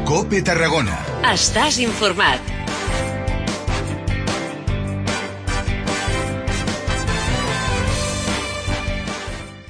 COPE Tarragona. Estàs informat.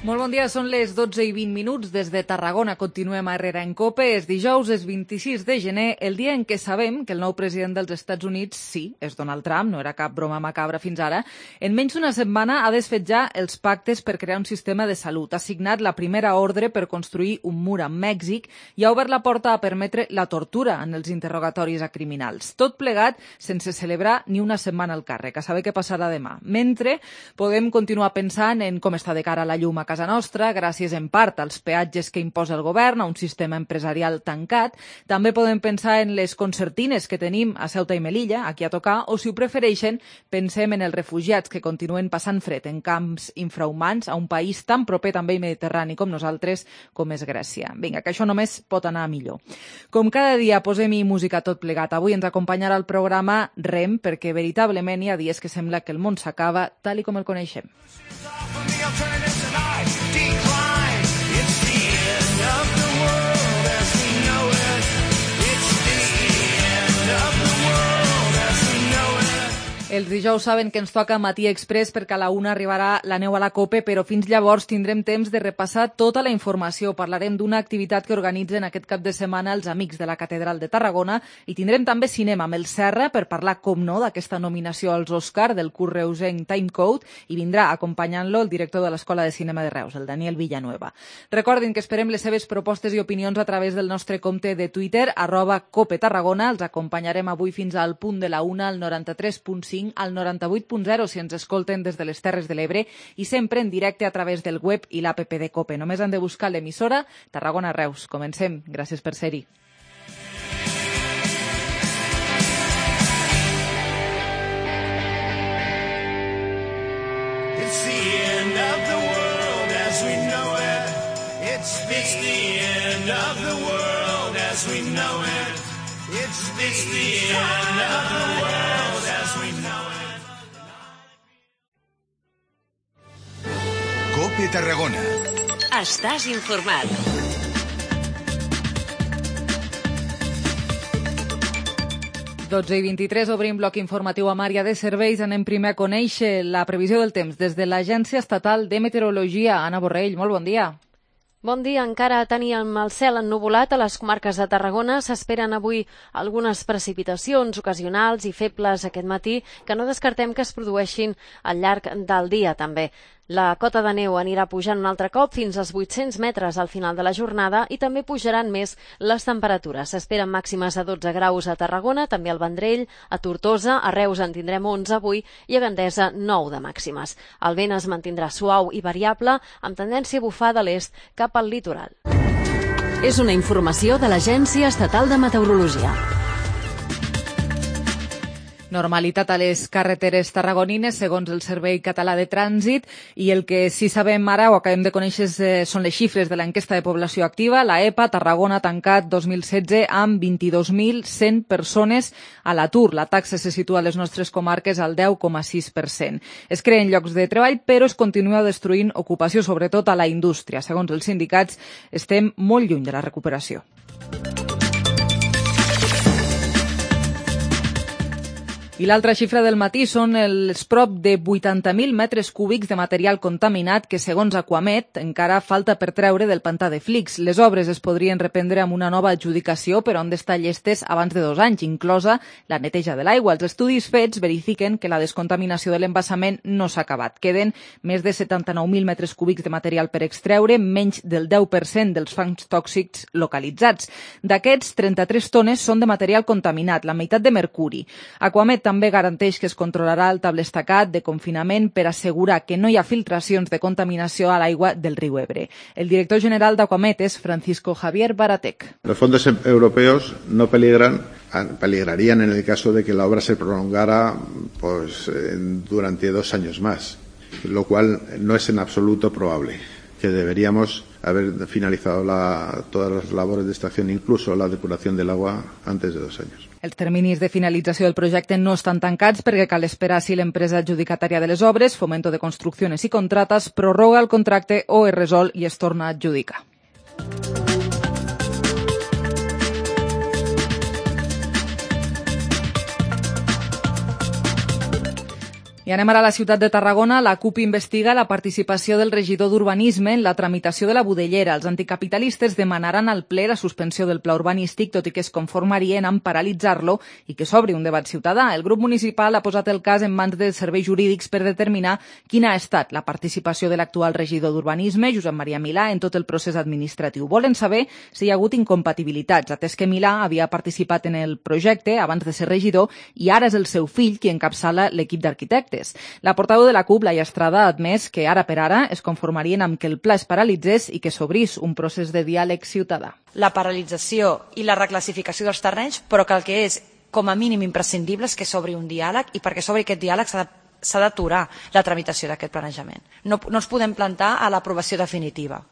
Molt bon dia, són les 12:20 des de Tarragona. Continuem a Herrera en COPE. És dijous, és 26 de gener, el dia en què sabem que el nou president dels Estats Units, sí, és Donald Trump, no era cap broma macabra fins ara, en menys d'una setmana ha desfet ja els pactes per crear un sistema de salut. Ha signat la primera ordre per construir un mur amb Mèxic i ha obert la porta a permetre la tortura en els interrogatoris a criminals. Tot plegat sense celebrar ni una setmana al càrrec, a saber què passarà demà. Mentre podem continuar pensant en com està de cara la llum a casa nostra, gràcies en part als peatges que imposa el govern, a un sistema empresarial tancat. També podem pensar en les concertines que tenim a Ceuta i Melilla, aquí a tocar, o si ho prefereixen, pensem en els refugiats que continuen passant fred en camps infrahumans a un país tan proper també i mediterrani com nosaltres, com és Grècia. Vinga, que això només pot anar millor. Com cada dia posem-hi música tot plegat. Avui ens acompanyarà el programa REM, perquè veritablement hi ha dies que sembla que el món s'acaba tal i com el coneixem. Els dijous saben que ens toca Matí Express perquè a la 1 arribarà la neu a la COPE, però fins llavors tindrem temps de repassar tota la informació. Parlarem d'una activitat que organitzen aquest cap de setmana els Amics de la Catedral de Tarragona i tindrem també cinema amb el Serra per parlar, com no, d'aquesta nominació als Òscar del curt reusenc Timecode i vindrà acompanyant-lo el director de l'Escola de Cinema de Reus, el Daniel Villanueva. Recordin que esperem les seves propostes i opinions a través del nostre compte de Twitter, @COPE Tarragona. Els acompanyarem avui fins al punt de la 1 al 93.5 al 98.0 si ens escolten des de les Terres de l'Ebre i sempre en directe a través del web i l'APP de COPE. Només han de buscar l'emissora Tarragona Reus. Comencem. Gràcies per ser-hi. It's the end of the world as we know it. It's the end of the world as we know it. It's the end of the world as we know it. COPE Tarragona. Estàs informat. Dotze i 23, obrim bloc informatiu amb àrea de serveis. Anem primer a conèixer la previsió del temps des de l'Agència Estatal de Meteorologia. Anna Borrell, molt bon dia. Bon dia. Encara teníem el cel ennuvolat a les comarques de Tarragona. S'esperen avui algunes precipitacions ocasionals i febles aquest matí que no descartem que es produeixin al llarg del dia també. La cota de neu anirà pujant un altre cop fins als 800 metres al final de la jornada i també pujaran més les temperatures. S'esperen màximes de 12 graus a Tarragona, també al Vendrell, a Tortosa, a Reus en tindrem 11 avui i a Gandesa 9 de màximes. El vent es mantindrà suau i variable amb tendència a bufar de l'est cap al litoral. És una informació de l'Agència Estatal de Meteorologia. Normalitat a les carreteres tarragonines, segons el Servei Català de Trànsit, i el que sí sabem ara, o acabem de conèixer, són les xifres de l'enquesta de població activa. La EPA, Tarragona, ha tancat 2016 amb 22.100 persones a l'atur. La taxa se situa a les nostres comarques al 10,6%. Es creen llocs de treball, però es continua destruint ocupació, sobretot a la indústria. Segons els sindicats, estem molt lluny de la recuperació. I l'altra xifra del matí són els prop de 80.000 metres cúbics de material contaminat que, segons Aquamet, encara falta per treure del pantà de Flix. Les obres es podrien reprendre amb una nova adjudicació, però han d'estar llestes abans de 2 anys, inclosa la neteja de l'aigua. Els estudis fets verifiquen que la descontaminació de l'embassament no s'ha acabat. Queden més de 79.000 metres cúbics de material per extreure, menys del 10% dels fangs tòxics localitzats. D'aquests, 33 tones són de material contaminat, la meitat de mercuri. Aquamet també garanteix que es controlarà el tablestacat de confinament per assegurar que no hi ha filtracions de contaminació a l'aigua del riu Ebre. El director general d'Aquamet és Francisco Javier Baratec. Los fondos europeos no peligrarían en el caso de que la obra se prolongara durante 2 años más, lo cual no es en absoluto probable, que deberíamos haber finalizado todas las labores de extracción, incluso la depuración del agua, antes de 2 años. Els terminis de finalització del projecte no estan tancats perquè cal esperar si l'empresa adjudicatària de les obres, Fomento de Construcciones y Contratas, prorroga el contracte o es resol i es torna a adjudicar. I anem ara a la ciutat de Tarragona. La CUP investiga la participació del regidor d'Urbanisme en la tramitació de la Budellera. Els anticapitalistes demanaran al ple la suspensió del pla urbanístic, tot i que es conformarien amb paralitzar-lo i que s'obri un debat ciutadà. El grup municipal ha posat el cas en mans de serveis jurídics per determinar quina ha estat la participació de l'actual regidor d'Urbanisme, Josep Maria Milà, en tot el procés administratiu. Volen saber si hi ha hagut incompatibilitats, atès que Milà havia participat en el projecte abans de ser regidor i ara és el seu fill qui encapçala l'equip d'arquitectes. La portaveu de la CUP, Laia Estrada, ha admès que ara per ara es conformarien amb que el pla es paralitzés i que s'obrís un procés de diàleg ciutadà. La paralització i la reclassificació dels terrenys, però que el que és com a mínim imprescindible és que s'obri un diàleg, i perquè s'obri aquest diàleg s'ha d'aturar la tramitació d'aquest planejament. No ens podem plantar a l'aprovació definitiva.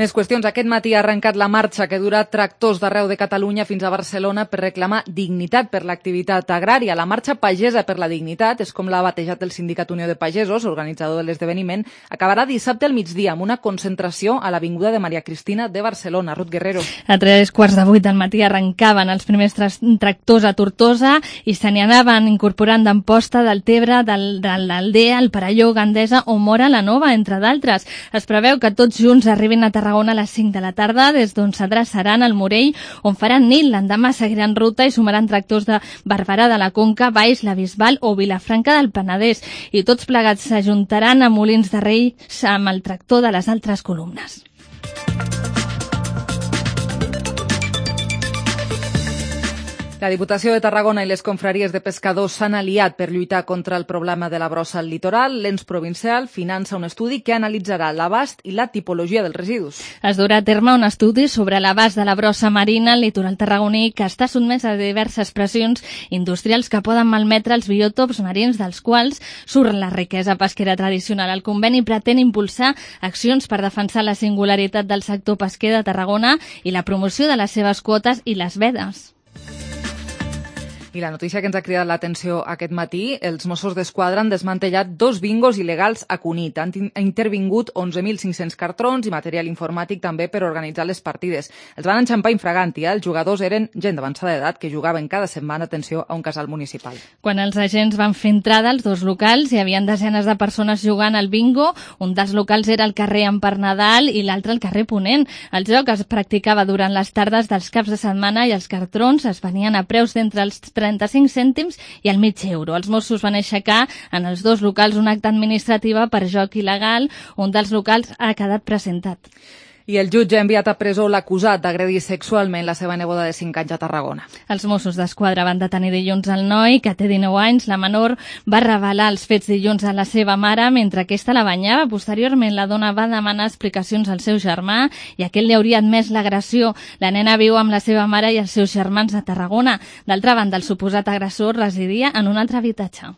Més qüestions. Aquest matí ha arrencat la marxa que dura tractors d'arreu de Catalunya fins a Barcelona per reclamar dignitat per l'activitat agrària. La marxa pagesa per la dignitat, és com l'ha batejat el Sindicat Unió de Pagesos, organitzador de l'esdeveniment, acabarà dissabte al migdia amb una concentració a l'Avinguda de Maria Cristina de Barcelona. Ruth Guerrero. A 7:45 del matí arrencaven els primers tractors a Tortosa i se n'hi anaven incorporant d'Amposta, del Tebre, de l'Aldea, el Perelló, Gandesa o Móra la Nova, entre d'altres. Es preveu que tots junts arribin a Tarragona a les 5 de la tarda, des d'on s'adreçaran al Morell, on faran nit. L'endemà seguiran ruta i sumaran tractors de Barberà de la Conca, Valls, la Bisbal o Vilafranca del Penedès. I tots plegats s'ajuntaran a Molins de Rei amb el tractor de les altres columnes. La Diputació de Tarragona i les confraries de pescadors s'han aliat per lluitar contra el problema de la brossa al litoral. L'ens provincial finança un estudi que analitzarà l'abast i la tipologia dels residus. Es durà a terme un estudi sobre l'abast de la brossa marina al litoral tarragoní, que està sotmès a diverses pressions industrials que poden malmetre els biòtops marins, dels quals surt la riquesa pesquera tradicional. El conveni pretén impulsar accions per defensar la singularitat del sector pesquer de Tarragona i la promoció de les seves quotes i les vedes. I la notícia que ens ha cridat l'atenció aquest matí, els Mossos d'Esquadra han desmantellat 2 bingos il·legals a Cunit. Han intervingut 11.500 cartrons i material informàtic també per organitzar les partides. Els van enxampar infraganti. Els jugadors eren gent d'avançada edat que jugaven cada setmana, atenció, a un casal municipal. Quan els agents van fer entrada als 2 locals, hi havia desenes de persones jugant al bingo. Un dels locals era el carrer Empar Nadal i l'altre el carrer Ponent. El joc es practicava durant les tardes dels caps de setmana i els cartrons es venien a preus d'entre els 35 cèntims i el mig euro. Els Mossos van aixecar en els 2 locals un acte administrativa per joc il·legal. Un dels locals ha quedat presentat. I el jutge ha enviat a presó l'acusat d'agredir sexualment la seva neboda de 5 anys a Tarragona. Els Mossos d'Esquadra van detenir dilluns el noi, que té 19 anys. La menor va revelar els fets dilluns a la seva mare mentre aquesta la banyava. Posteriorment, la dona va demanar explicacions al seu germà i aquest li hauria admès l'agressió. La nena viu amb la seva mare i els seus germans a Tarragona. D'altra banda, el suposat agressor residia en un altre habitatge.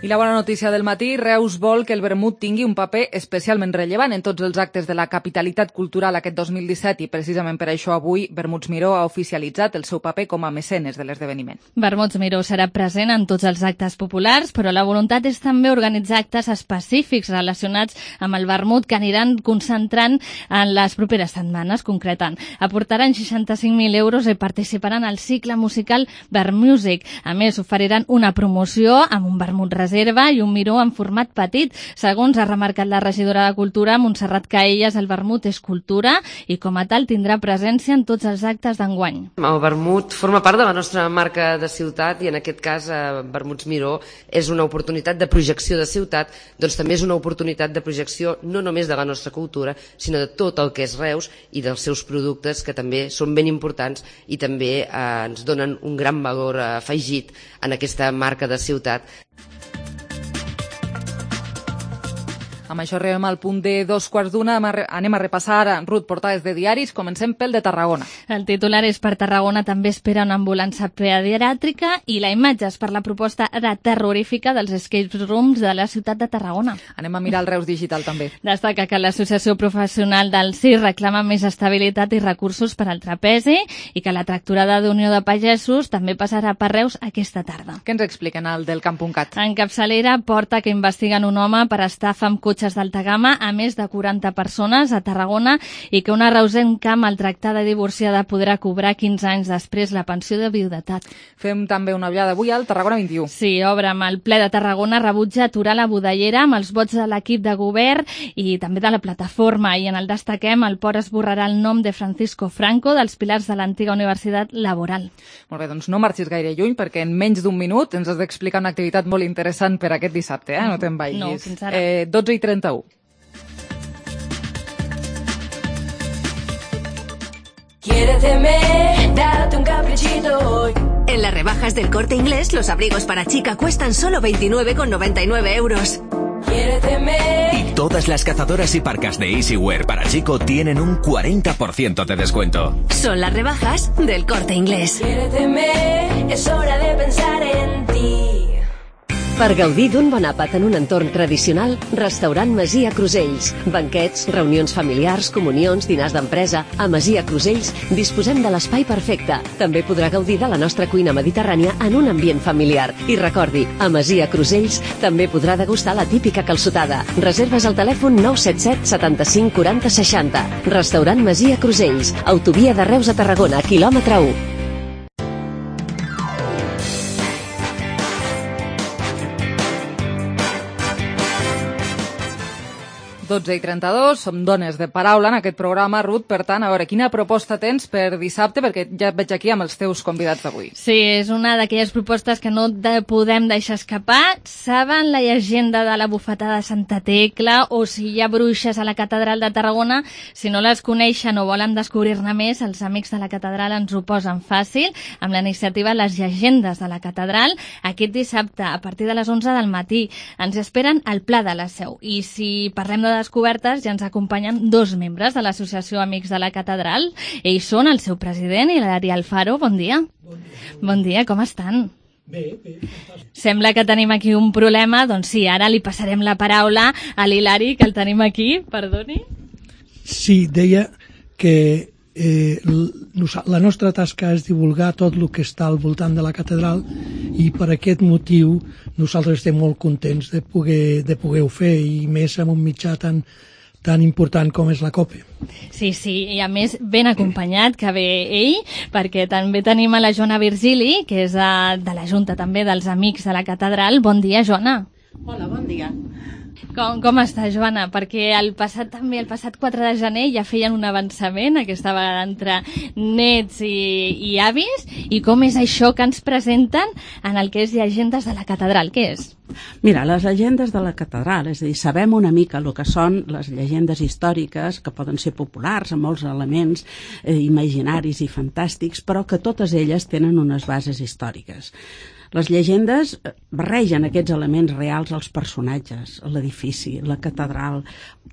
I la bona notícia del matí, Reus vol que el vermut tingui un paper especialment rellevant en tots els actes de la capitalitat cultural aquest 2017 i precisament per això avui Vermuts Miró ha oficialitzat el seu paper com a mecenes de l'esdeveniment. Vermuts Miró serà present en tots els actes populars, però la voluntat és també organitzar actes específics relacionats amb el vermut que aniran concentrant en les properes setmanes, concretant. Aportaran 65.000 euros i participaran al cicle musical Vermusic. A més, oferiran una promoció amb un vermut reserva i un miró en format petit. Segons ha remarcat la regidora de Cultura, Montserrat Caelles, el vermut és cultura i com a tal tindrà presència en tots els actes d'enguany. El vermut forma part de la nostra marca de ciutat i en aquest cas Vermuts Miró és una oportunitat de projecció de ciutat, doncs també és una oportunitat de projecció no només de la nostra cultura, sinó de tot el que és Reus i dels seus productes, que també són ben importants i també ens donen un gran valor afegit en aquesta marca de ciutat. Amb això arribem al punt de 2:15. Anem a repassar, Ruth, portades de diaris. Comencem pel de Tarragona. El titular és: per Tarragona també espera una ambulància pediàtrica, i la imatge és per la proposta terrorífica dels escape rooms de la ciutat de Tarragona. Anem a mirar el Reus Digital també. Destaca que l'Associació Professional del CIR reclama més estabilitat i recursos per al trapezi i que la tractorada d'Unió de Pagesos també passarà per Reus aquesta tarda. Què ens expliquen al del Camp.cat? En capçalera, porta que investiguen un home per estafa amb cotxe cotxes d'alta gamma a més de 40 persones a Tarragona i que una reusenca maltractada i divorciada podrà cobrar 15 anys després la pensió de viudetat. Fem també una ullada avui al Tarragona 21. Sí, obre amb el ple de Tarragona rebutja aturar la budellera amb els vots de l'equip de govern i també de la plataforma. I en el destaquem, el port esborrarà el nom de Francisco Franco dels pilars de l'antiga Universitat Laboral. Molt bé, doncs no marxis gaire lluny perquè en menys d'un minut ens has d'explicar una activitat molt interessant per aquest dissabte, no te'n vagis. No, fins ara. 12:31. Quiéreteme, date un caprichito hoy. En las rebajas del Corte Inglés, los abrigos para chica cuestan solo 29,99 euros. Quiéreteme. Y todas las cazadoras y parcas de Easywear para chico tienen un 40% de descuento. Son las rebajas del Corte Inglés. Quiéreteme, es hora de pensar en ti. Per gaudir d'un bon àpat en un entorn tradicional, restaurant Masia Crusells. Banquets, reunions familiars, comunions, dinars d'empresa. A Masia Crusells disposem de l'espai perfecte. També podrà gaudir de la nostra cuina mediterrània en un ambient familiar. I recordi, a Masia Crusells també podrà degustar la típica calçotada. Reserves al telèfon 977 75 40 60. Restaurant Masia Crusells. Autovia de Reus a Tarragona, quilòmetre 1. 12:32, som dones de paraula en aquest programa. Ruth, per tant, a veure, quina proposta tens per dissabte? Perquè ja et veig aquí amb els teus convidats d'avui. Sí, és una d'aquelles propostes que no podem deixar escapar. Saben la llegenda de la bufetada de Santa Tecla o si hi ha bruixes a la catedral de Tarragona? Si no les coneixen o volen descobrir-ne més, els amics de la catedral ens ho posen fàcil amb la iniciativa Les Llegendes de la Catedral. Aquest dissabte, a partir de les 11 del matí, ens esperen al Pla de la Seu. I si parlem de descobertes, ja ens acompanyen dos membres de l'Associació Amics de la Catedral. Ells són el seu president, Hilari Alfaro. Bon dia. Bon dia. Bon dia, com estan? Bé. Sembla que tenim aquí un problema. Doncs sí, ara li passarem la paraula a l'Hilari, que el tenim aquí. Perdoni. Sí, deia que la nostra tasca és divulgar tot el que està al voltant de la catedral i per aquest motiu nosaltres estem molt contents de poder-ho fer i més amb un mitjà tan important com és la COPE. Sí, i a més ben acompanyat que ve ell, perquè també tenim a la Joana Virgili, que és de la Junta també dels Amics de la Catedral. Bon dia, Joana. Hola, bon dia. Com està, Joana? Perquè el passat 4 de gener ja feien un avançament, aquesta vegada entre nets i avis, i com és això que ens presenten en el que és Llegendes de la Catedral? Què és? Mira, les llegendes de la catedral, és a dir, sabem una mica el que són les llegendes històriques, que poden ser populars amb molts elements imaginaris i fantàstics, però que totes elles tenen unes bases històriques. Les llegendes barregen aquests elements reals als personatges, l'edifici, la catedral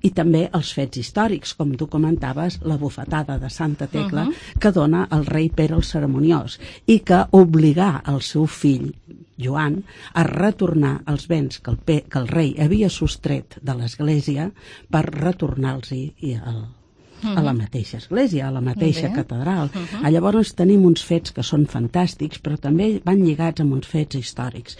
i també els fets històrics, com tu comentaves, la bufetada de Santa Tecla que dona el rei Pere el Cerimoniós i que obligà el seu fill, Joan, a retornar els béns que el rei havia sostret de l'església per retornar-los-hi a la mateixa església, a la mateixa catedral. Llavors tenim uns fets que són fantàstics, però també van lligats amb uns fets històrics.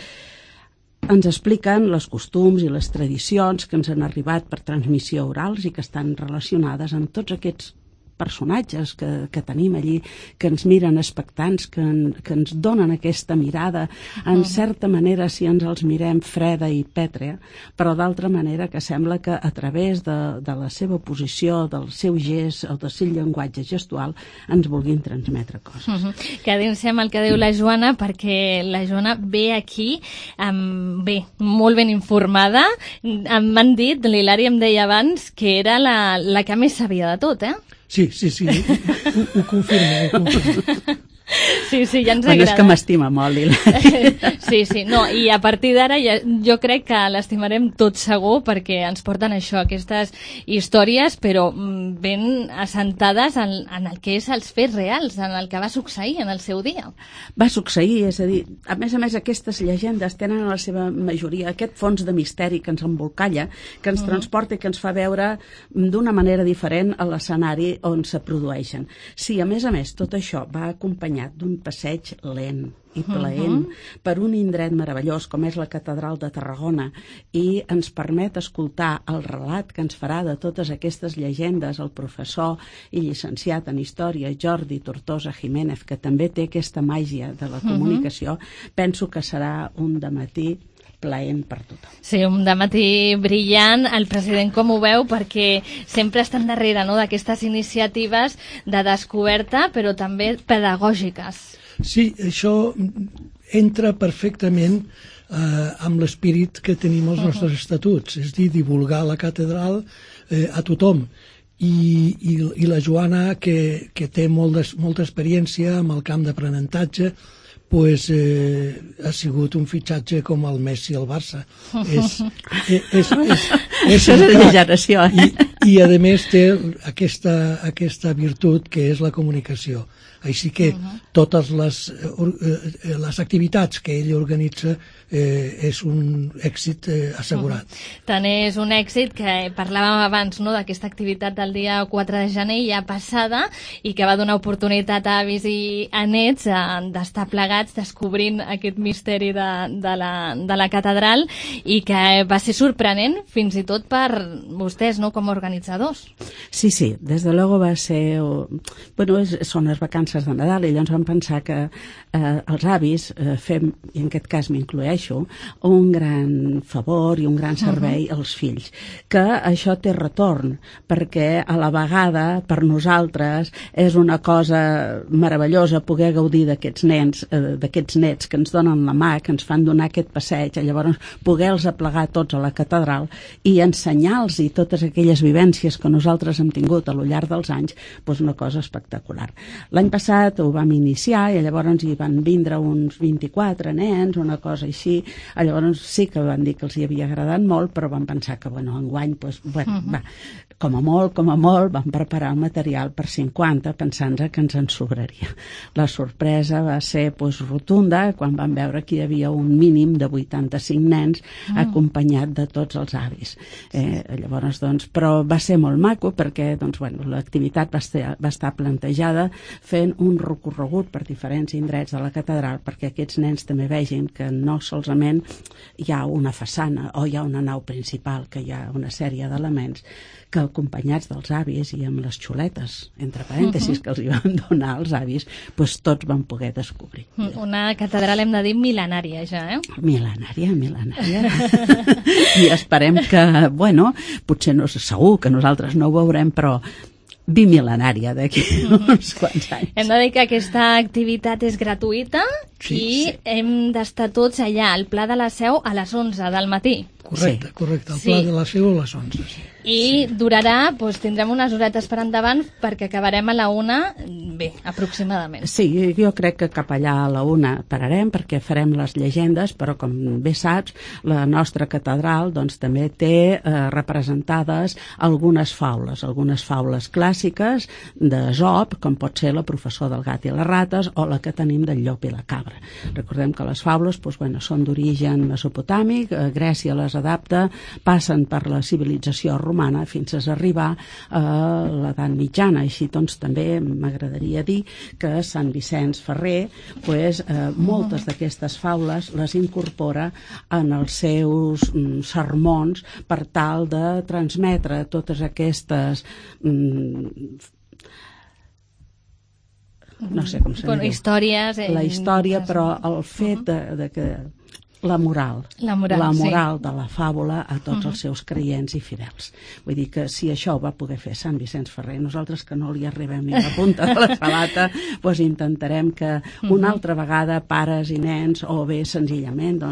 Ens expliquen els costums i les tradicions que ens han arribat per transmissió orals i que estan relacionades amb tots aquests personatges que tenim allí, que ens miren expectants, que ens donen aquesta mirada, en certa manera, si ens els mirem, freda i pètrea, però d'altra manera que sembla que a través de la seva posició, del seu gest o del seu llenguatge gestual ens vulguin transmetre coses. Quedem-se amb el que diu la Joana, perquè la Joana ve aquí molt ben informada. M'han dit, l'Hilari em deia abans, que era la que més sabia de tot, eh? Sí, ho confirmo. Sí, ja ens agrada. És que m'estima molt, Hilari. Sí, no, i a partir d'ara jo crec que l'estimarem tot segur perquè ens porten això, aquestes històries, però ben assentades en el que és els fets reals, en el que va succeir en el seu dia. Va succeir, és a dir, a més, aquestes llegendes tenen a la seva majoria aquest fons de misteri que ens embolcalla, que ens transporta i que ens fa veure d'una manera diferent a l'escenari on se produeixen. Sí, a més, tot això va acompanyat acompanyat d'un passeig lent i plaent per un indret meravellós com és la Catedral de Tarragona, i ens permet escoltar el relat que ens farà de totes aquestes llegendes el professor i llicenciat en Història Jordi Tortosa Jiménez, que també té aquesta màgia de la comunicació. Penso que serà un dematí plaent per tothom. Sí, un dematí brillant. El president com ho veu? Perquè sempre estan darrere, no?, d'aquestes iniciatives de descoberta, però també pedagògiques. Sí, això entra perfectament amb l'espirit que tenim als nostres estatuts, és dir, divulgar la catedral a tothom. I la Joana, que té molta experiència amb el camp d'aprenentatge, pues, ha sigut un fitxatge com el Messi al Barça. És una generació. I a més té aquesta virtut que és la comunicació. Així que totes les activitats que ell organitza és un èxit assegurat. Tant és un èxit que parlàvem abans, no?, d'aquesta activitat del dia 4 de gener ja passada, i que va donar oportunitat a avis i a nets d'estar plegats descobrint aquest misteri de la catedral, i que va ser sorprenent fins i tot per vostès, no?, com a organitzadors. Sí, des de luego va ser... Bueno, són les vacances de Nadal, i llavors vam pensar que els avis fem, i en aquest cas m'incloeixo, un gran favor i un gran servei als fills, que això té retorn, perquè a la vegada per nosaltres és una cosa meravellosa poder gaudir d'aquests nets que ens donen la mà, que ens fan donar aquest passeig, llavors poder-los aplegar tots a la catedral i ensenyar-los totes aquelles vivències que nosaltres hem tingut a lo llarg dels anys, doncs una cosa espectacular. L'any passat ho vam iniciar i llavors hi van vindre uns 24 nens, una cosa així. Llavors sí que van dir que els hi havia agradat molt, però van pensar que, enguany, com a molt, van preparar el material per 50, pensant que ens en sobraria. La sorpresa va ser rotunda quan van veure que hi havia un mínim de 85 nens acompanyat de tots els avis. Llavors, però va ser molt maco perquè l'activitat va estar plantejada fent un recorregut per diferents indrets de la catedral perquè aquests nens també vegin que no solament hi ha una façana o hi ha una nau principal, que hi ha una sèrie d'elements que acompanyats dels avis i amb les xuletes, entre parèntesis, que els hi van donar als avis, doncs tots van poder descobrir. Una catedral, hem de dir, mil·lenària ja, eh? Mil·lenària. I esperem que, potser no, segur que nosaltres no ho veurem, però bimil·lenària d'aquí uns quants anys. Hem de dir que aquesta activitat és gratuïta i hem d'estar tots allà, al Pla de la Seu, a les 11 del matí. Correcte, el Pla de la Seu a les 11, sí. I durarà, tindrem unes horetes per endavant perquè acabarem a la 1, aproximadament. Sí, jo crec que cap allà a la 1 pararem perquè farem les llegendes, però com bé saps, la nostra catedral també té representades algunes faules clàssiques d'Esop, com pot ser la professor del gat i les rates o la que tenim del llop i la cabra. Recordem que les faules són d'origen mesopotàmic, Grècia les adapta, passen per la civilització romana fins a arribar a l'edat mitjana. Així també m'agradaria dir que Sant Vicenç Ferrer moltes d'aquestes faules les incorpora en els seus sermons per tal de transmetre totes aquestes no sé com se diu. Històries. La història, però el fet de que la moral de la fàbula a tots els seus creients i fidels. Vull dir que si això ho va poder fer Sant Vicenç Ferrer, nosaltres que no li arribem ni a la punta de la sabata, intentarem que una altra vegada pares i nens, o bé senzillament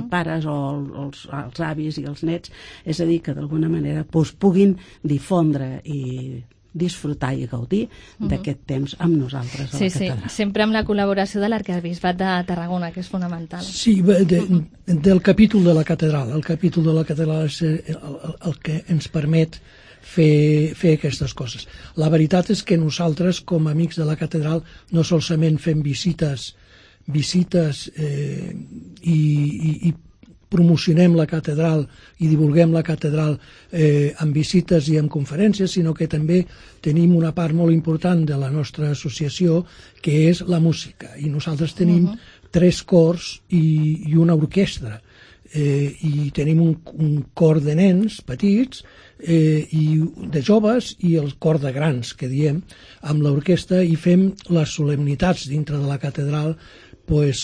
pares o els avis i els nets, és a dir, que d'alguna manera puguin difondre i disfrutar i gaudir d'aquest temps amb nosaltres a la catedral. Sí, sempre amb la col·laboració de l'Arquebisbat de Tarragona, que és fonamental. Sí, del capítol de la catedral. El capítol de la catedral és el que ens permet fer aquestes coses. La veritat és que nosaltres, com a amics de la catedral, no solament fem visites i promocionem la catedral i divulguem la catedral amb visites i amb conferències, sinó que també tenim una part molt important de la nostra associació, que és la música. I nosaltres tenim 3 cors i una orquestra. I tenim un cor de nens petits i de joves i el cor de grans, que diem, amb l'orquestra, i fem les solemnitats dintre de la catedral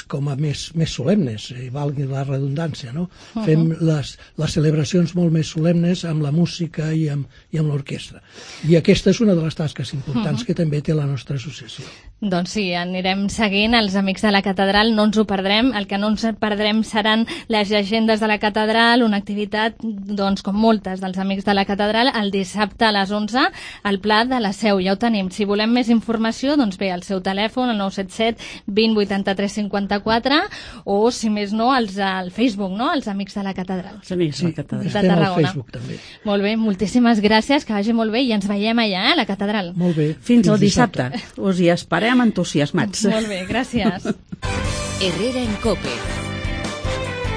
com a més solemnes, valgui la redundància, no? Fem les celebracions molt més solemnes amb la música i amb l'orquestra. I aquesta és una de les tasques importants que també té la nostra associació. Doncs sí, anirem seguint els Amics de la Catedral, no ens ho perdrem. El que no ens perdrem seran les llegendes de la Catedral, una activitat, doncs, com moltes dels Amics de la Catedral, el dissabte a les 11 al Pla de la Seu. Ja ho tenim. Si volem més informació, doncs bé, al seu telèfon, el 977 20 83 54, o, si més no, al Facebook, no?, els Amics de la Catedral. Els Amics de la Catedral. Estem al Facebook, també. Molt bé, moltíssimes gràcies, que vagi molt bé, i ens veiem allà, a la Catedral. Molt bé. Fins el dissabte. Us hi esperem entusiasmats. Molt bé, gràcies. Herrera en COPE.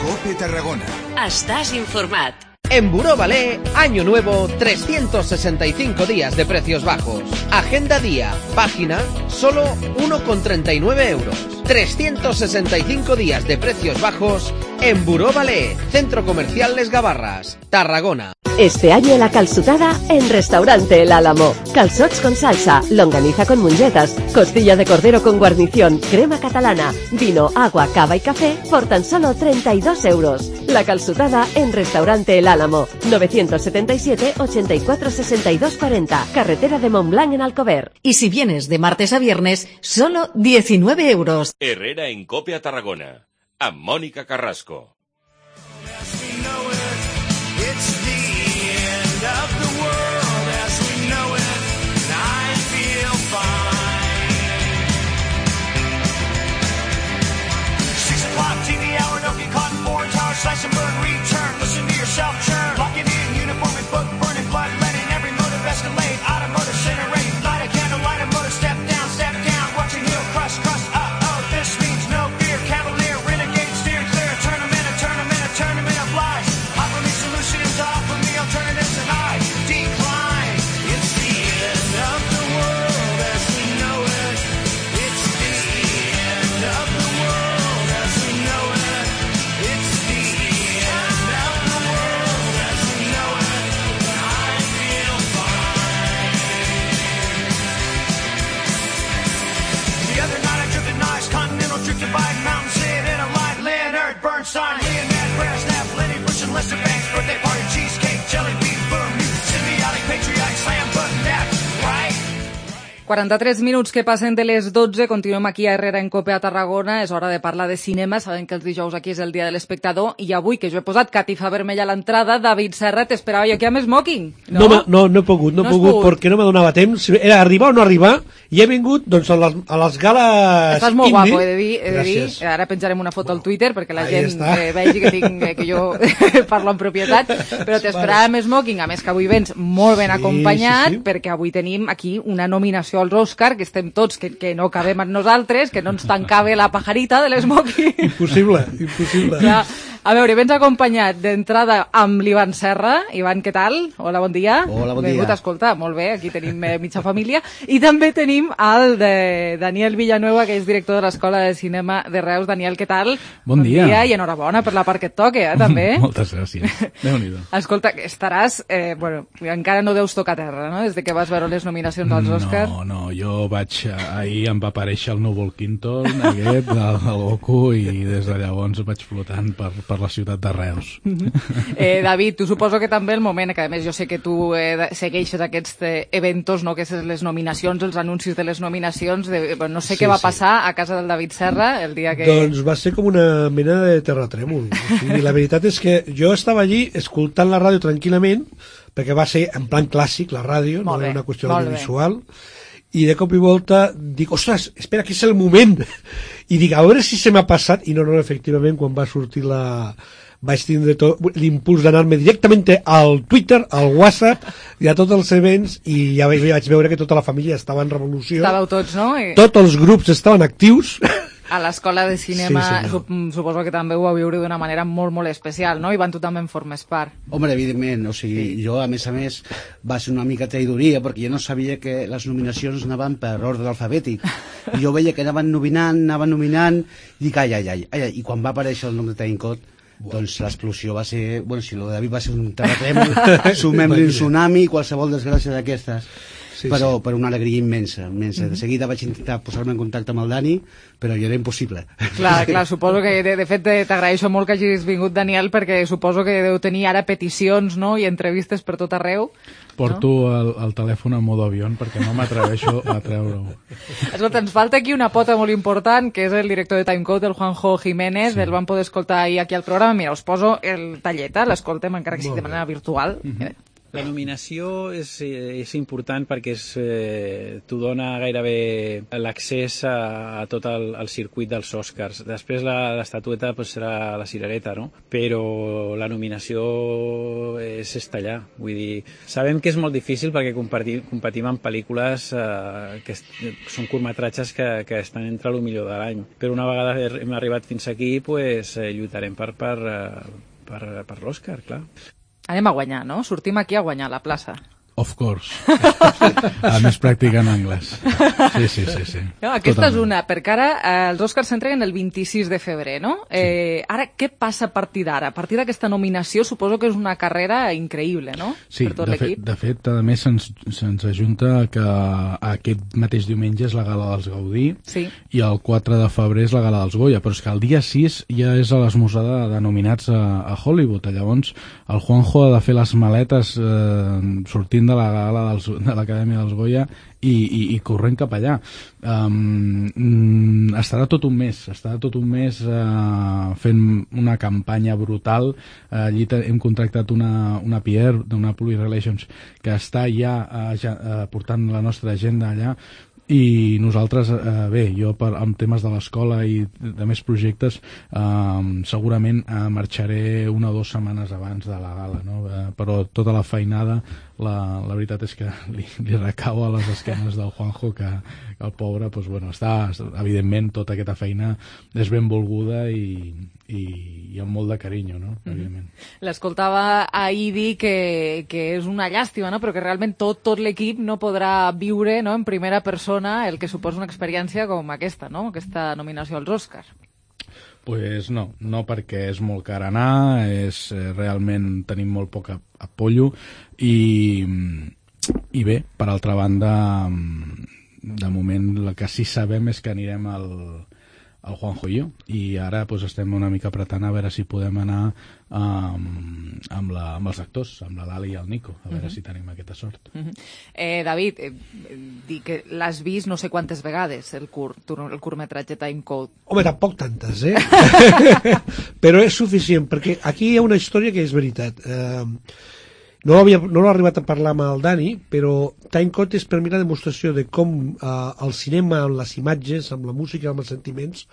COPE Tarragona. Estás informat. En Buró Ballet, año nuevo, 365 días de precios bajos. Agenda día, página, solo 1,39 euros. 365 días de precios bajos en Buró Ballet, Centro Comercial Les Gavarras, Tarragona. Este año la calçotada en Restaurante El Álamo. Calzots con salsa, longaniza con mongetas, costilla de cordero con guarnición, crema catalana, vino, agua, cava y café por tan solo 32 euros. La calçotada en Restaurante El Álamo, 977 84 62 40, carretera de Montblanc en Alcover. Y si vienes de martes a viernes, solo 19 euros. Herrera en COPE a Tarragona, amb Mònica Carrasco. Slice and burn, return, listen to yourself churn. Locking in, uniform and book, burning blood, letting every motive escalate. Automotive incinerate, light a candle, light a motor, step down, watch your heel crush, oh, this means no fear. Cavalier, renegade, steer clear, tournament of lies. Offer me solutions, offer me alternatives, and I decline. It's the end of the world as we know it. It's the end of the world as we know it. It's the Divide mountains, sit in a light, Leonard Bernstein, Leonard Brasnap, Lenny Bruce and Lester Banks, birthday party, cheesecake, jelly bean, boom, symbiotic, patriotic, slam button, that's right. 43 minuts que passen de les 12, continuem aquí a Herrera en COPE a Tarragona, és hora de parlar de cinema, sabem que els dijous aquí és el dia de l'espectador, i avui, que jo he posat catifa vermella a l'entrada, David Serra, t'esperava jo aquí amb smoking, no? No he pogut, perquè no me donava temps, era arribar o no arribar, i he vingut, doncs, a les gales Estàs molt indie. guapo, he de dir, ara penjarem una foto al Twitter, perquè la gent vegi que jo parlo en propietat, però t'esperava amb smoking, a més que avui vens molt ben acompanyat, perquè avui tenim aquí una nominació als Òscar, que estem tots, que no cabem amb nosaltres, que no ens tancava la pajarita de l'esmoking. Impossible. Ja, a veure, vens acompanyat d'entrada amb l'Ivan Serra. Ivan, què tal? Hola, bon dia. Hola, bon dia. Benvingut, escolta, molt bé, aquí tenim mitja família. I també tenim el de Daniel Villanueva, que és director de l'Escola de Cinema de Reus. Daniel, què tal? Bon dia. I enhorabona per la part que et toca, també. Moltes gràcies. Déu-n'hi-do. Escolta, estaràs... encara no deus tocar terra, no?, des de que vas veure les nominacions als Òscar. No, jo vaig... Ahir em va aparèixer el núvol Quinton, aquest, el Goku, i des de llavors vaig flotant per la ciutat de Reus. David, tu suposo que també el moment, que a més jo sé que tu segueixes aquests eventos, no?, que és les nominacions, els anuncis de les nominacions, no sé què va passar a casa del David Serra el dia que... Doncs va ser com una mena de terratrèmol. I la veritat és que jo estava allí escoltant la ràdio tranquil·lament, perquè va ser en plan clàssic la ràdio, no era una qüestió audiovisual, i de cop i volta dic, ostres, espera, que és el moment, i dic, a veure si se m'ha passat, i no, efectivament, quan va sortir vaig tindre l'impuls d'anar-me directament al Twitter, al WhatsApp i a tots els events, i ja vaig veure que tota la família estava en revolució. Estàveu tots, no? Tots els grups estaven actius A l'escola de cinema suposo que també ho vau viure d'una manera molt, molt especial, no? Ivan, tu també en formes part. Home, evidentment, o sigui, jo, a més, va ser una mica traïdoria, perquè jo no sabia que les nominacions anaven per ordre alfabètic. I jo veia que anaven nominant, i dic, ai, i quan va aparèixer el nom de Timecode, doncs l'explosió va ser... Bueno, si el de David va ser un terratrèmol, sumem-li un tsunami, qualsevol desgràcia d'aquestes. Però per una alegria immensa. De seguida vaig intentar posar-me en contacte amb el Dani, però ja era impossible. Clar, suposo que de fet t'agraeixo molt que hagis vingut, Daniel, perquè suposo que deu tenir ara peticions, no?, i entrevistes per tot arreu. Porto el telèfon en modo avió perquè no m'atreveixo a treure-ho. Escolta, ens falta aquí una pota molt important, que és el director de Timecode, el Juanjo Jiménez, el vam poder escoltar ahir aquí al programa. Mira, us poso el tallet, l'escoltem encara que sigui de manera virtual. La nominació és important perquè t'ho dona gairebé l'accés a tot el circuit dels Oscars. Després l'estatueta serà la cirereta, no? Però la nominació és estallar. Vull dir, sabem que és molt difícil perquè competim en pel·lícules que són curtmetratges que estan entre el millor de l'any. Però una vegada hem arribat fins aquí, lluitarem per l'Oscar, clar. Anem a guanyar, no? Sortim aquí a guanyar la plaça. Of course. A més practicant anglès. Sí. No, aquesta és una, perquè ara els Oscars s'entreguen el 26 de febrer, no? Ara, què passa a partir d'ara? A partir d'aquesta nominació suposo que és una carrera increïble, no? Sí, per tot l'equip. De fet, a més se'ns ajunta que aquest mateix diumenge és la gala dels Gaudí i el 4 de febrer és la gala dels Goya, però és que el dia 6 ja és a l'esmorzada de nominats a Hollywood. Llavors, el Juanjo ha de fer les maletes sortint de la gala de l'Acadèmia dels Goya i corrent cap allà. Estarà tot un mes fent una campanya brutal. Allí hem contractat una PR d'una Public Relations que està ja portant la nostra agenda allà. I nosaltres, jo amb temes de l'escola i de més projectes segurament marxaré 1 o 2 setmanes abans de la gala, no? Però tota la feinada la veritat és que li recau a les esquenes del Juanjo, que el pobre està, evidentment tota aquesta feina és ben volguda i amb molt de carinyo, no? Evidentment. L'escoltava ahir dir que és una llàstima, no? Però que realment tot l'equip no podrà viure, no, en primera persona el que suposa una experiència com aquesta, no? Aquesta nominació als Oscars. Pues no, perquè és molt car anar, realment tenim molt poc apollo i bé, per altra banda, de moment el que sí sabem és que anirem al Juanjo i jo, i ara estem una mica apretant a veure si podem anar amb els actors, amb la Lali i el Nico, a veure si tenim aquesta sort. David, dic que l'has vist no sé quantes vegades, el curtmetratge Timecode. Home, tampoc tantes, però és suficient, perquè aquí hi ha una història que és veritat. No l'he arribat a parlar amb el Dani, però Timecode és per mi la demostració de com el cinema, amb les imatges, amb la música, amb els sentiments,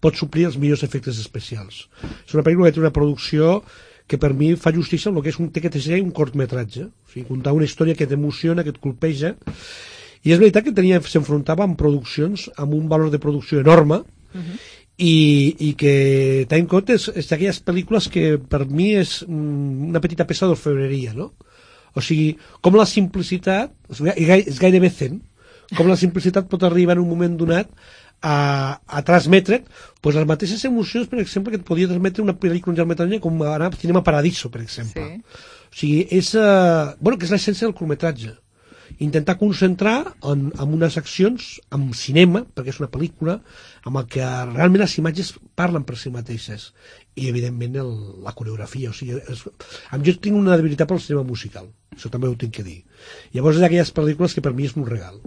pot suplir els millors efectes especials. És una pel·lícula que té una producció que per mi fa justícia amb el que és que ser un curtmetratge, o sigui, contar una història que t'emociona, que et colpeja, i és veritat que s'enfrontava amb produccions amb un valor de producció enorme, i que Timecode és d'aquelles pel·lícules que per mi és una petita peça d'orfebreria, no? O sigui, com la simplicitat és gairebé zen, com la simplicitat pot arribar en un moment donat a transmetre les mateixes emocions, per exemple, que et podia transmetre una pel·lícula en llargmetratge com anar a Cinema Paradiso, per exemple. O sigui, que és l'essència del curtmetratge. Intentar concentrar en unes accions, en cinema, perquè és una pel·lícula, amb el que realment les imatges parlen per si mateixes. I, evidentment, la coreografia. O sigui, jo tinc una debilitat pel cinema musical, això també ho tinc que dir. Llavors, és d'aquelles pel·lícules que per mi és un regal,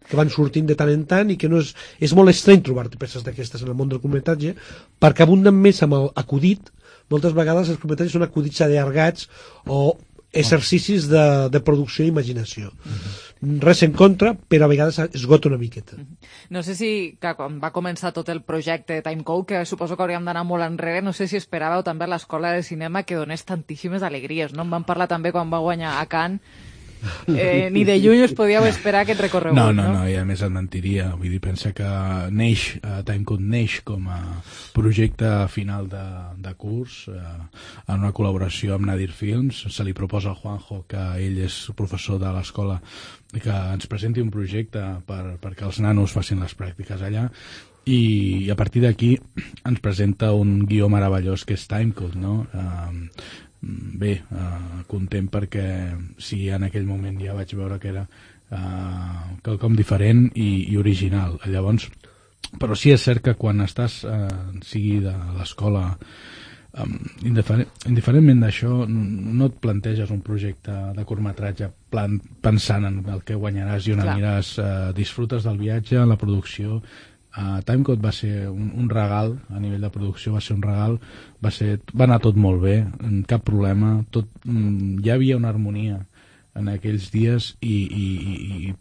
que van sortint de tant en tant i que no és molt estrany trobar-te peces d'aquestes en el món del curtmetratge, perquè abunden més amb l'acudit. Moltes vegades els curtmetratges són acudits allargats o exercicis de producció i imaginació. Res en contra, però a vegades esgota una miqueta. No sé si, quan va començar tot el projecte Timecode, que suposo que hauríem d'anar molt enrere, no sé si esperàveu també a l'escola de cinema que donés tantíssimes alegries, no? En vam parlar també quan va guanyar a Cannes, ni de lluny us podíeu esperar aquest recorregut, no? No, i a més et mentiria. Vull dir, pensa que Timecode neix com a projecte final de curs, en una col·laboració amb Nadir Films. Se li proposa al Juanjo, que ell és professor de l'escola, que ens presenti un projecte perquè els nanos facin les pràctiques allà, i a partir d'aquí ens presenta un guió meravellós que és Timecode, no? Content perquè sí, en aquell moment ja vaig veure que era quelcom diferent i original. Llavors, però sí és cert que quan estàs sigui de l'escola, indiferentment d'això, no et planteges un projecte de curtmetratge pensant en el que guanyaràs i on aniràs. Disfrutes del viatge, la producció. Timecode va ser un regal, a nivell de producció va ser un regal, va anar tot molt bé, cap problema, hi havia una harmonia en aquells dies i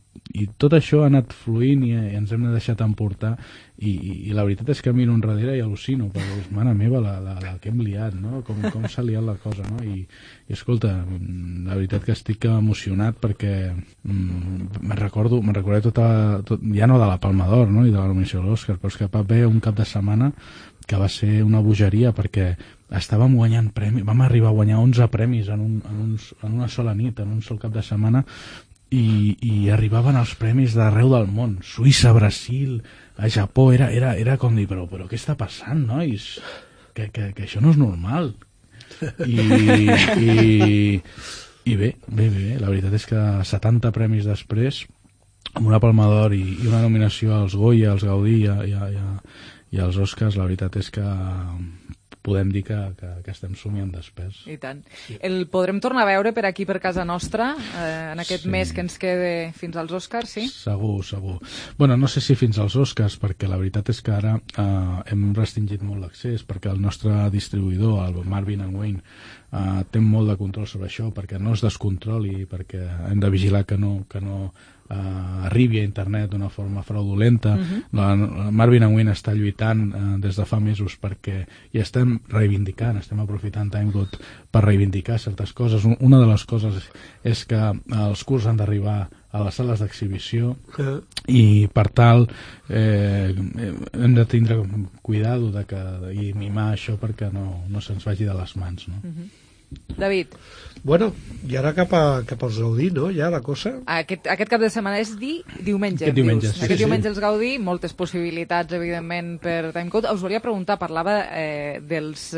tot això ha anat fluint i ens hem deixat emportar i la veritat és que miro enrere i al·lucino, perquè és, mare meva, la que hem liat, no? Com s'ha liat la cosa, no? I escolta, la veritat que estic emocionat perquè me'n recordaré tot, ja no de la Palma d'Or, no? I de la nominació de l'Òscar, però és que va haver un cap de setmana que va ser una bogeria perquè estàvem guanyant premis, vam arribar a guanyar 11 premis en una sola nit, en un sol cap de setmana, i arribaven els premis d'arreu del món, Suïssa, Brasil, a Japó, era com dir, però què està passant, nois? Que això no és normal. I bé, la veritat és que 70 premis després, amb una Palma d'Or i una nominació als Goya, als Gaudí i als Oscars, la veritat és que podem dir que estem somiant despers. I tant. El podrem tornar a veure per aquí, per casa nostra, en aquest mes que ens quede fins als Oscars, sí? Segur. Bueno, no sé si fins als Oscars, perquè la veritat és que ara hem restringit molt l'accés, perquè el nostre distribuïdor, el Marvin & Wayne, té molt de control sobre això, perquè no es descontroli, perquè hem de vigilar que no arribi a internet d'una forma fraudulenta. La Marvin & Wayne està lluitant des de fa mesos perquè hi estem reivindicant, estem aprofitant Timecode per reivindicar certes coses. Una de les coses és que els curts han d'arribar a les sales d'exhibició i per tal hem de tindre cuidado i mimar això perquè no se'ns vagi de les mans, no? David. Bueno, i ara cap als Gaudí, no? Ja la cosa... Aquest cap de setmana és diumenge. Aquest diumenge els Gaudí, moltes possibilitats, evidentment, per Timecode. Us volia preguntar, parlava dels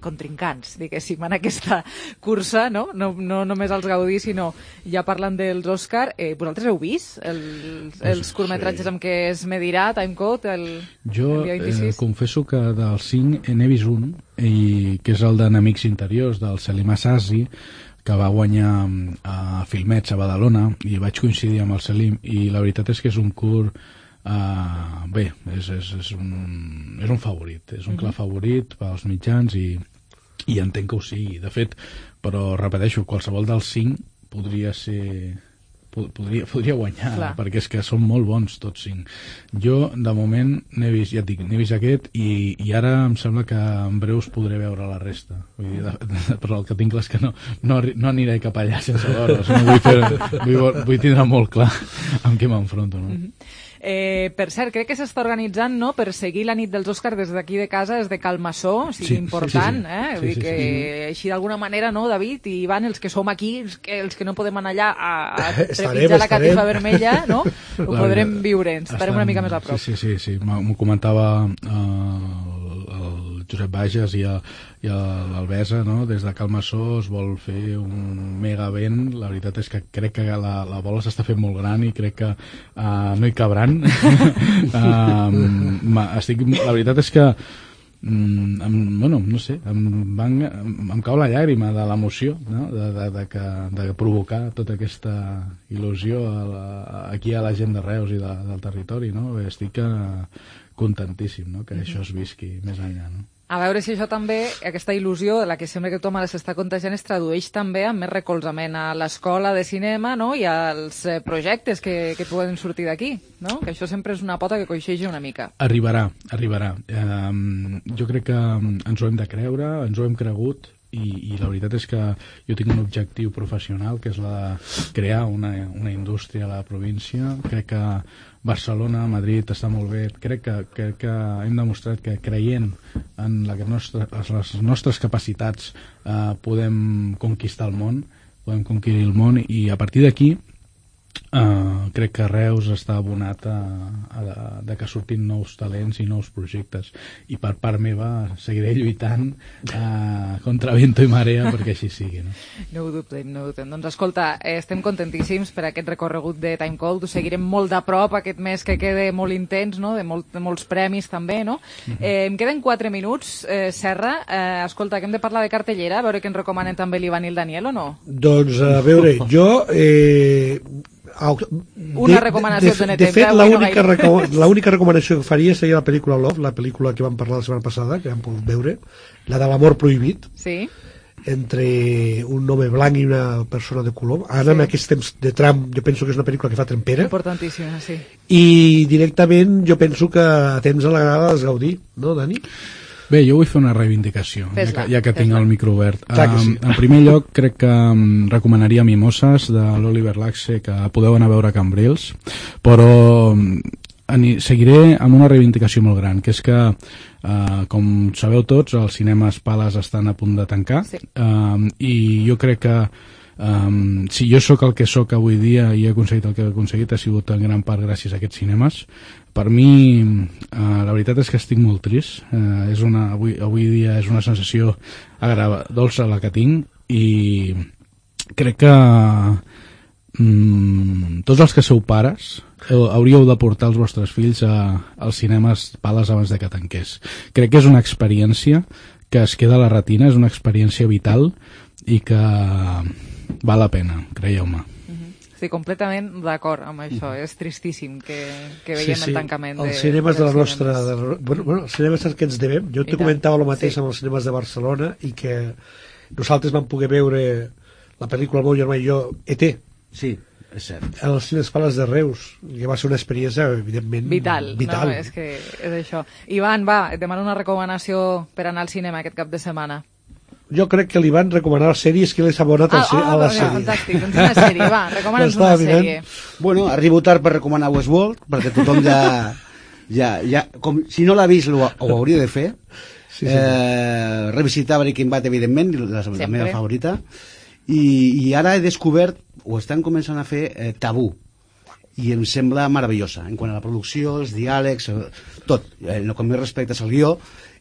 contrincants, diguéssim, en aquesta cursa, no només els Gaudí, sinó ja parlant dels Òscar. Vosaltres heu vist els curtmetratges amb què es medirà Timecode el dia 26? Jo confesso que del 5 n'he vist un, que és el d'Enemics Interiors, del Selim Assasi, que va guanyar a Filmets a Badalona, i vaig coincidir amb el Selim, i la veritat és que és un curt bé, és un favorit, és un clar favorit pels mitjans i entenc que ho sigui, de fet, però repeteixo, qualsevol dels 5 podria guanyar, perquè és que són molt bons tots 5. Jo de moment n'he vist, ja et dic, n'he vist aquest i ara em sembla que en breu us podré veure la resta. Vull dir, però el que tinc clar és que no aniré cap allà sense veure'ls, vull tindre molt clar amb què m'enfronto, no? Per cert, crec que s'està organitzant, no?, per seguir la nit dels Òscars des d'aquí de casa, des de Calmassó, important, Vull dir que així d'alguna manera, no, David i Ivan, els que som aquí, els que no podem anar allà a trepitjar la catifa vermella, no?, ho podrem viure, ens estarem una mica més a prop. Sí, m'ho comentava el Josep Bages i l'Albesa, no? Des de Calmassó es vol fer un mega event. La veritat és que crec que la bola s'està fent molt gran i crec que no hi cabran. La veritat és que no sé, em cau la llàgrima de l'emoció, no? de provocar tota aquesta il·lusió aquí a la gent de Reus i del territori, no? Estic contentíssim, no?, que això es visqui més enllà, no? A veure si això també, aquesta il·lusió de la que sembla que tothom ara s'està contagiant, es tradueix també en més recolzament a l'escola de cinema, no?, i als projectes que poden sortir d'aquí, no?, que això sempre és una pota que coixeja una mica. Arribarà. Jo crec que ens ho hem de creure, ens ho hem cregut, i la veritat és que jo tinc un objectiu professional, que és la de crear una indústria a la província. Crec que Barcelona, Madrid està molt bé. Crec que hem demostrat que creient en les nostres capacitats podem conquistar el món, podem conquerir el món, i a partir d'aquí crec que Reus està abonat de que surtin nous talents i nous projectes, i per part meva seguiré lluitant contra vento i marea perquè així sigui, no? No ho dubtem. Doncs escolta, estem contentíssims per aquest recorregut de Time Code. Ho seguirem molt de prop aquest mes que queda molt intens, no? de molts premis també, no? Em queden 4 minuts, Serra. Escolta, que hem de parlar de cartellera, a veure què ens recomanen també l'Ivan i el Daniel, o no? Doncs a veure, jo una recomanació de fet, l'única recomanació que faria seria la pel·lícula Love, la pel·lícula que vam parlar la setmana passada, que vam pogut veure, la de l'amor prohibit, sí, entre un home blanc i una persona de color. Ara, en aquests temps de Trump, jo penso que és una pel·lícula que fa trempera. Importantíssima, sí. I directament jo penso que a temps a la gana has gaudir, no, Dani? Bé, jo vull fer una reivindicació, ja que tinc el micro obert. Sí. En primer lloc, crec que recomanaria Mimoses, de l'Oliver Laxe, que podeu anar a veure a Cambrils, però seguiré amb una reivindicació molt gran, que és que, com sabeu tots, els cinemes Pales estan a punt de tancar, i jo crec que si jo sóc el que sóc avui dia i he aconseguit el que he aconseguit, ha sigut en gran part gràcies a aquests cinemes. Per mi, la veritat és que estic molt trist. Avui dia és una sensació dolça la que tinc, i crec que tots els que sou pares hauríeu de portar els vostres fills als cinemes Pales abans de que tanqués. Crec que és una experiència que es queda a la retina, és una experiència vital i que val la pena, creieu-me. Estic completament d'acord amb això. És tristíssim que veiem el tancament els cinemes de la nostra... els cinemes que ens devem. Jo te comentava el mateix amb els cinemes de Barcelona, i que nosaltres vam poder veure la pel·lícula El meu germà i jo, E.T. Sí, és cert. Els cines Pales de Reus, que va ser una experiència, evidentment, vital. No, és que és això. Ivan, va, et demano una recomanació per anar al cinema aquest cap de setmana. Jo crec que li van recomanar sèries que l'he abonat a la sèrie. Fantàstic, doncs una sèrie, va, recomana'ns una sèrie. Bueno, arribo tard per recomanar Westworld, perquè tothom ja com, si no l'ha vist, ho hauria de fer. Revisitar Breaking Bad, evidentment, la meva favorita. I ara he descobert, o estan començant a fer, Tabú, i em sembla meravellosa, en quant a la producció, els diàlegs, tot. El que més respecte és el guió,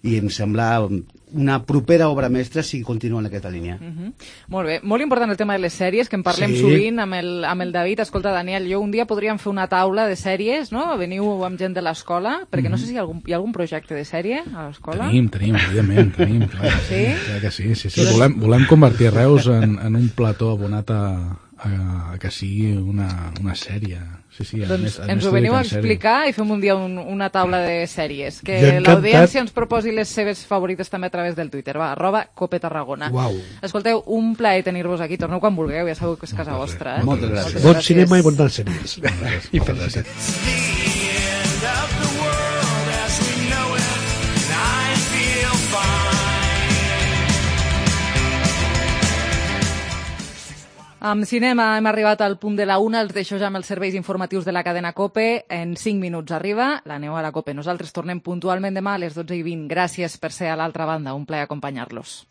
i em sembla una propera obra mestra si continua en aquesta línia. Molt bé, molt important el tema de les sèries, que en parlem sovint amb el David. Escolta, Daniel, jo un dia podríem fer una taula de sèries, no? Veniu amb gent de l'escola, perquè no sé si hi ha algun projecte de sèrie a l'escola. Tenim, evidentment, tenim, clar. Sí? Clar que sí. Volem convertir Reus en un plató abonat a que sigui una sèrie. Doncs ens ho veniu a explicar i fem un dia una taula de sèries. Que l'audiència ens proposi les seves favorites també a través del Twitter. Va, @copetarragona. Escolteu, un plaer tenir-vos aquí. Torneu quan vulgueu, ja sabeu que és casa vostra. Moltes gràcies. Bon cinema i bones sèries. I felicitats. Amb cinema hem arribat al punt de la 1, els deixo ja amb els serveis informatius de la cadena COPE. En 5 minuts arriba la neu a la COPE. Nosaltres tornem puntualment demà a les 12:20. Gràcies per ser a l'altra banda, un plaer acompanyar-los.